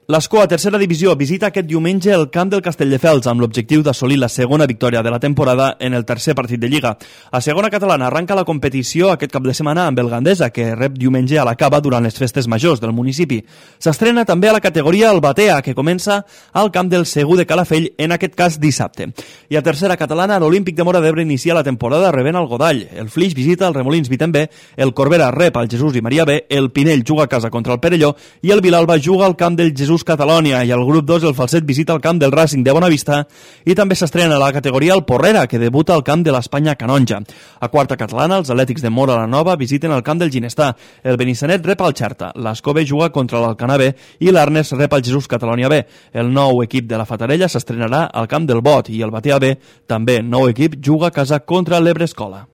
L'Escó, a tercera divisió, visita aquest diumenge el camp del Castelldefels amb l'objectiu d'assolir la segona victòria de la temporada en el tercer partit de Lliga. A segona catalana arranca la competició aquest cap de setmana amb el Gandesa, que rep diumenge a la Cava durant les festes majors del municipi. S'estrena també a la categoria el Batea, que comença al camp del Segur de Calafell, en aquest cas dissabte. I a tercera catalana, l'Olímpic de Móra d'Ebre inicia la temporada rebent el Godall. El Flix visita el Remolins Vitem B, el Corbera rep al Jesús i Maria B, el Pinell juga a casa contra el Perelló i el Vilalba juga al camp del Jesús Catalònia, i al grup 2 el Falset visita el camp del Racing de Bonavista i també s'estrena a la categoria el Porrera, que debuta al camp de l'Espanya Canonja. A quarta catalana, els Atlètics de Móra la Nova visiten el camp del Ginestà, el Benissanet rep al Xerta, l'Escó B juga contra l'Alcanar B i l'Arnes rep al Jesús Catalònia B. El nou equip de la Fatarella s'estrenarà al camp del Bot i el Batea B, també nou equip, juga a casa contra l'Ebre Escola.